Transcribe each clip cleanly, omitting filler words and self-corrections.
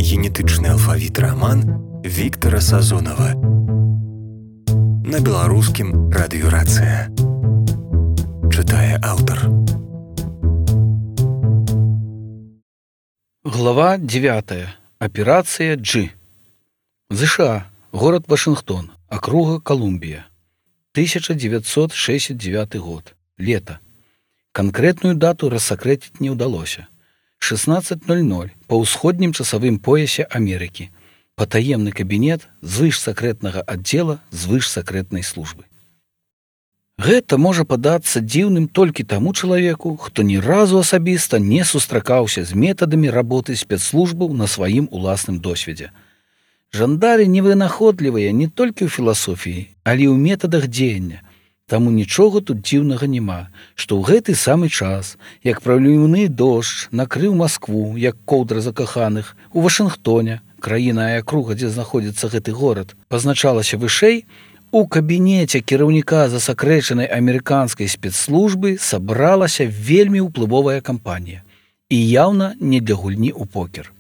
генетычны алфавіт раман Віктара Сазонава. На беларускім радыёрацыя. Чытае аўтар. Глава 9. Операция G. США. Город Вашингтон. Округа Колумбия. 1969 год. Лето. Конкретную дату рассекретить не удалось. 16:00 по ўсходнім часовым поясе Америки. Потаемный кабинет звышсакрэтнага отдела звышсакрэтнай службы. Гэта можа падацца дзіўным толькі таму чалавеку, хто ні разу асабіста не сустракаўся з метадамі работы спецслужбаў на сваім уласным досведзе. Жандары невынаходлівыя не толькі ў філасофіі, але і ў метадах дзеяння. Таму нічога тут дзіўнага няма, што ў гэты самы час, як праліўны дождж накрыў Маскву, як коўдра закаханых, у Вашынгтоне, краіна і акруга, дзе знаходзіцца гэты горад, пазначалася вышэй, у кабінеце кіраўніка засакрэчанай амерыканскай спецслужбы сабралася вельмі ўплывовая кампанія. І яўна не для гульні ў покер.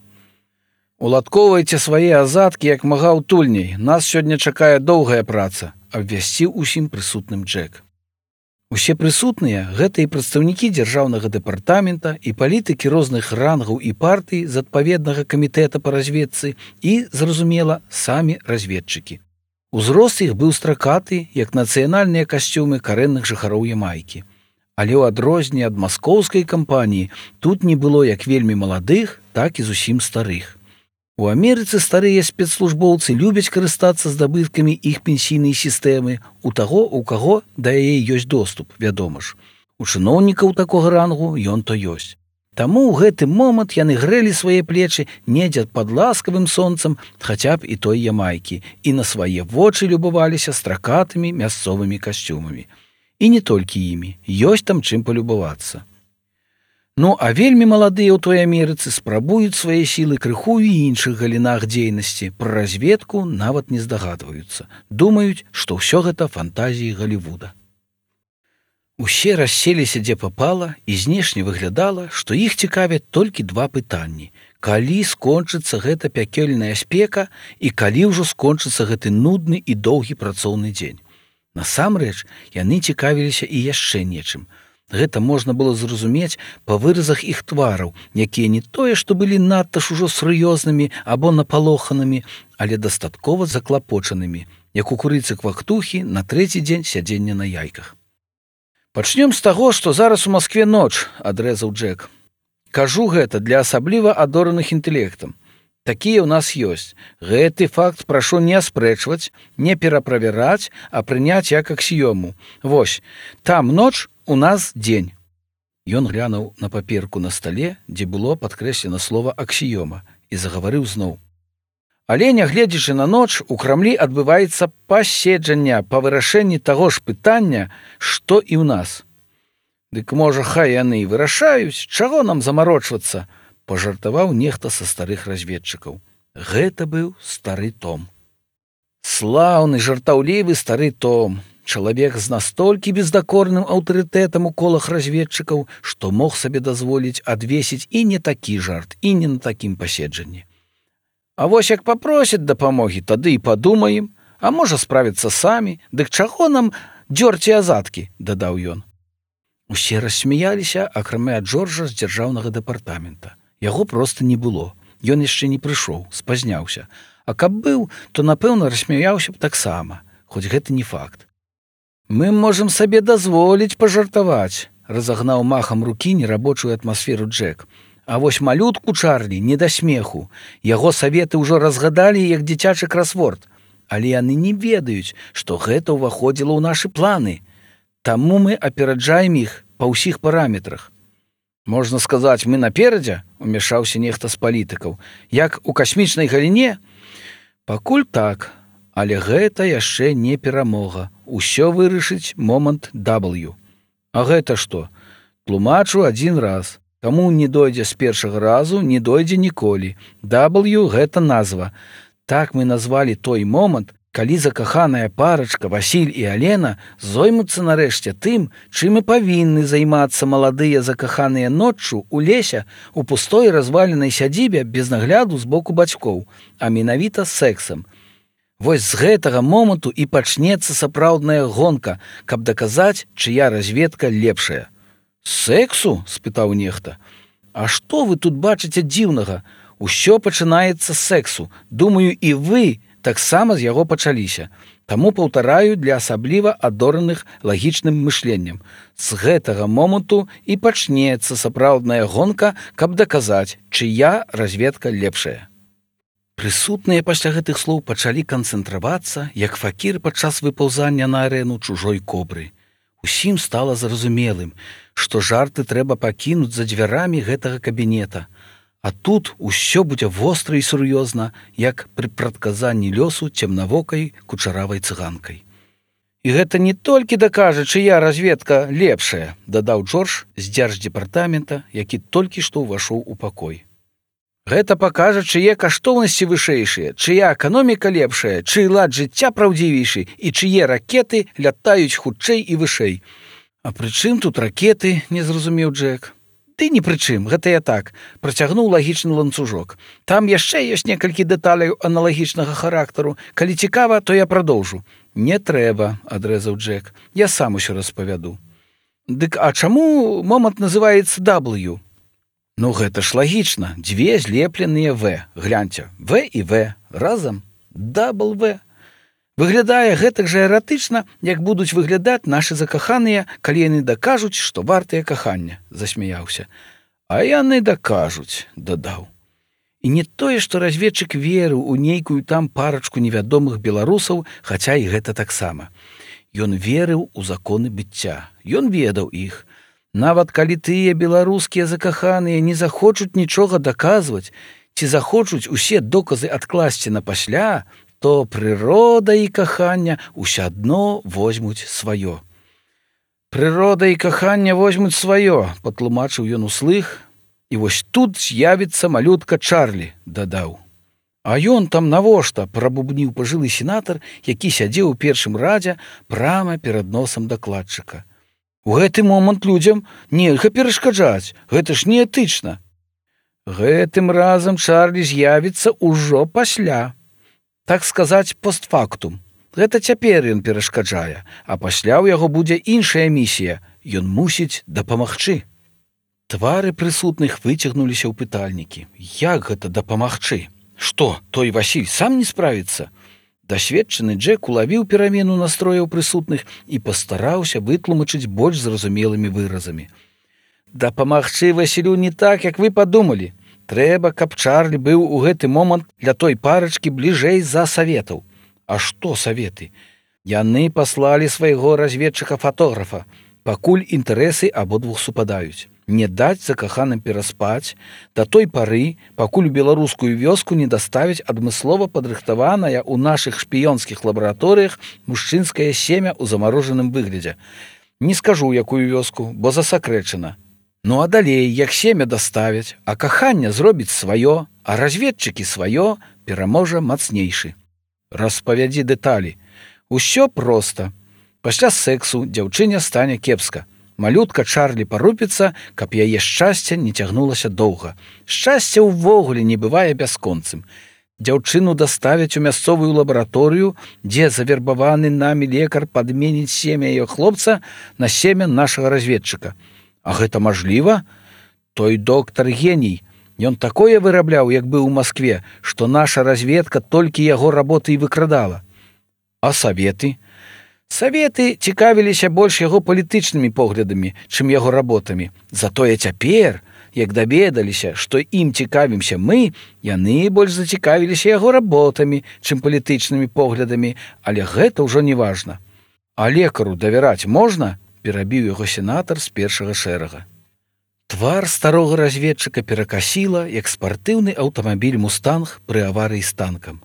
«Уладкоўвайце свае азадкі як мага ўтульней. Нас сёння чакае доўгая праца», абвясціў усім прысутным Джек. Усе прысутныя — гэта і прадстаўнікі дзяржаўнага дэпартамента, і палітыкі розных рангаў і партый з адпаведнага камітэта па разведцы і, зразумела, самі разведчыкі. Узрост іх быў стракаты, як нацыянальныя касцюмы карэнных жыхароў Ямайкі. Але ў адрозненне ад маскоўскай кампаніі тут не было як вельмі маладых, так і зусім старых. У Амерыцы старыя спецслужбоўцы любяць карыстацца здабыткамі іх пенсійнай сістэмы у таго, у каго да яе ёсць доступ, вядома ж. У чыноўнікаў такога рангу ён то ёсць. Таму ў гэты момант яны грэлі свае плечы недзе пад ласкавым сонцам хаця б і той Ямайкі і на свае вочы любаваліся стракатымі мясцовымі касцюмамі. І не толькі імі, ёсць там чым палюбавацца. Ну, а вельмі маладыя ў той Амерыцы спрабуюць свае сілы крыху і іншых галінах дзейнасці, пра разведку нават не здагадваюцца. Думаюць, што ўсё гэта фантазіі Галівуда. Усе расселіся дзе папала, і знешне выглядала, што іх цікавяць толькі два пытанні. Калі скончыцца гэта пякельная спека і калі ўжо скончыцца гэты нудны і доўгі працоўны дзень. Насамрэч, яны цікавіліся і яшчэ нечым. Гэта можна было зразумець па выразах іх твараў, якія не тое, што былі надта ж ужо сур'ёзнымі або напалоханымі, але дастаткова заклапочанымі, як у курыцы-квактухі на трэці дзень сядзення на яйках. «Пачнём з таго, што зараз у Маскве ноч», — адрэзаў Джек. «Кажу гэта для асабліва адораных інтэлектам. Такія ў нас ёсць. Гэты факт прашу не аспрэчваць, не пераправяраць, а прыняць як аксіёму. Вось, там ноч, у нас дзень». Ён глянуў на паперку на стале, дзе было падкрэслена слова «аксіёма», і загаварыў зноў. «Але, нягледзячы на ноч, у Крамлі адбываецца паседжанне па вырашэнні таго ж пытання, што і ў нас. Дык можа, хай яны і вырашаюць, чаго нам замарочвацца?» — пажартаваў нехта са старых разведчыкаў. Гэта быў стары Том. Слаўны, жартаўлівы стары Том. Чалавек з настолькі бездакорным аўтарытэтам у колах разведчыкаў, што мог сабе дазволіць адвесіць і не такі жарт, і не на такім паседжанні. «А вось як папросяць дапамогі, тады і падумаем, а можа справіцца самі, дык чаго нам дзёрці азадкі?» — дадаў ён. Усе рассмяяліся, акрамя Джорджа з дзяржаўнага дэпартамента. Яго проста не было. Ён яшчэ не прыйшоў, спазняўся. А каб быў, то, напэўна, рассмяяўся б таксама, хоць гэта не факт. «Мы можам сабе дазволіць пажартаваць», — разагнаў махам рукі нерабочую атмасферу Джек. «А вось малютку Чарлі не да смеху. Яго саветы ўжо разгадалі як дзіцячы красворд. Але яны не ведаюць, што гэта ўваходзіла ў нашы планы. Таму мы апераджаем іх па ўсіх параметрах». «Можна сказаць, мы наперадзе?» — умяшаўся нехта з палітыкаў. «Як у касмічнай галіне?» «Пакуль так, але гэта яшчэ не перамога. Усё вырашыць момант W. А гэта што? Тлумачу адзін раз. Каму не дойдзе з першага разу, не дойдзе ніколі. W — гэта назва. Так мы назвалі той момант, калі закаханая парачка Васіль і Алена зоймуцца нарэшце тым, чым і павінны займацца маладыя закаханыя ноччу у лесе у пустой разваленай сядзібе без нагляду з боку бацькоў, а менавіта сексам. Вось з гэтага моманту і пачнецца сапраўдная гонка, каб даказаць, чыя разведка лепшая. «Сексу?» – спытаў нехта. «А што вы тут бачыце дзіўнага? Усё пачынаецца з сексу. Думаю, і вы таксама з яго пачаліся. Таму паўтараю для асабліва адораных лагічным мышленнем. З гэтага моманту і пачнецца сапраўдная гонка, каб даказаць, чыя разведка лепшая». Прысутныя пасля гэтых слоў пачалі канцэнтравацца, як факір падчас выпаўзання на арэну чужой кобры. Усім стала зразумелым, што жарты трэба пакінуць за дзвярамі гэтага кабінета. А тут усё будзе востра і сур'ёзна, як пры прадказанні лёсу цемнавокай кучаравай цыганкай. «І гэта не толькі дакажа, чыя разведка лепшая», – дадаў Джордж з дзярждзепартамента, які толькі што ўвайшоў у пакой. «Гэта пакажа, чые каштоўнасці вышэйшыя, чыя эканоміка лепшая, чый лад жыцця праўдзівейшы і чые ракеты лятаюць хутчэй і вышэй». «А пры чым тут ракеты?» – не зразумеў Джек. «Ты ні пры чым, гэта я так», – працягнуў лагічны ланцужок. «Там яшчэ ёсць некалькі дэталяў аналагічнага характару. Калі цікава, то я прадоўжу». «Не трэба», – адрэзаў Джек. «Я сам усё распавяду». «Дык а чаму момант называецца W?» «Ну гэта ж лагічна. Дзве злепленыя В. Гляньце, В і В. Разам. W. Выглядае гэтак жа эратычна, як будуць выглядаць нашы закаханыя, калі яны дакажуць, што вартыя кахання», – засмяяўся. «А яны дакажуць», – дадаў. І не тое, што разведчык верыў у нейкую там парачку невядомых беларусаў, хаця і гэта таксама. Ён верыў у законы быцця, ён ведаў іх. Нават калі тыя беларускія закаханыя не захочуць нічога даказваць, ці захочуць усе доказы адкласці на пасля, то прырода і кахання ўсё адно возьмуць сваё. «Прырода і кахання возьмуць сваё», – патлумачыў ён услых. «І вось тут з'явіцца малютка Чарлі», – дадаў. «А ён там навошта?» – прабубніў пажылы сенатар, які сядзеў у першым радзе прама перад носам дакладчыка. «У гэты момант людзям нельга перашкаджаць, гэта ж неэтычна». «Гэтым разам Чарлі з'явіцца ўжо пасля. Так сказаць, постфактум. Гэта цяпер ён перашкаджае, а пасля ў яго будзе іншая місія. Ён мусіць дапамагчы». Твары прысутных выцягнуліся ў пытальнікі. Як гэта дапамагчы? Што, той Васіль сам не справіцца? Дасведчаны Джек улавіў перамену настрояў прысутных і пастараўся вытлумачыць больш зразумелымі выразамі. «Дапамагчы Васілю не так, як вы падумалі. Трэба, каб Чарлі быў у гэты момант для той парачкі бліжэй за саветаў». «А што саветы?» «Яны паслалі свайго разведчыка-фатографа, пакуль інтарэсы абодвух супадаюць. Не даць закаханым пераспаць да той пары, пакуль у беларускую вёску не даставяць адмыслова падрыхтаванае ў нашых шпіёнскіх лабараторыях мужчынскае семя ў замарожаным выглядзе. Не скажу, якую вёску, бо засакрэчана. Ну а далей, як семя даставяць, а каханне зробіць сваё, а разведчыкі сваё, пераможа мацнейшы. Распавядзі дэталі. Усё проста. Пасля сексу дзяўчыне стане кепска. Малютка Чарлі парупіцца, каб яе шчасце не цягнулася доўга. Шчасце ўвогуле не бывае бясконцым. Дзяўчыну даставяць у мясцовую лабараторыю, дзе завербаваны намі лекар падменіць семя яе хлопца на семя нашага разведчыка. А гэта мажліва? Той доктар геній. Ён такое вырабляў, як быў у Маскве, што наша разведка толькі яго работы і выкрадала. А саветы? Саветы цікавіліся больш яго палітычнымі поглядамі, чым яго работамі. Затое цяпер, як даведаліся, што ім цікавімся мы, яны больш зацікавіліся яго работамі, чым палітычнымі поглядамі, але гэта ўжо не важна. А лекару давяраць можна? Перабіў яго сенатар з першага шэрага. Твар старога разведчыка перакасіла, як спартыўны аўтамабіль «Мустанг» пры аварыі з танкам.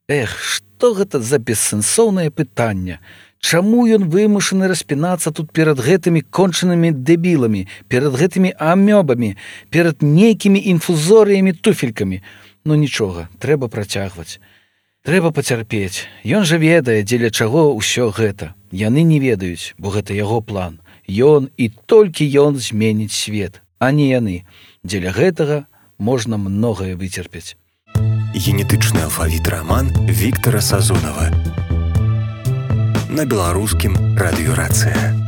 Эх, што гэта за бессэнсоўнае пытанне? Чаму ён вымушаны распінацца тут перад гэтымі кончанымі дэбіламі, перад гэтымі амёбамі, перад нейкімі інфузорыямі туфелькамі? Ну нічога, трэба працягваць. Трэба пацярпець. Ён жа ведае, дзеля чаго ўсё гэта. Яны не ведаюць, бо гэта яго план. Ён і толькі ён зменіць свет, а не яны. Дзеля гэтага можна многае выцерпець. Генетычны алфавіт раман Віктара Сазонава. На беларускім радыёрацыя.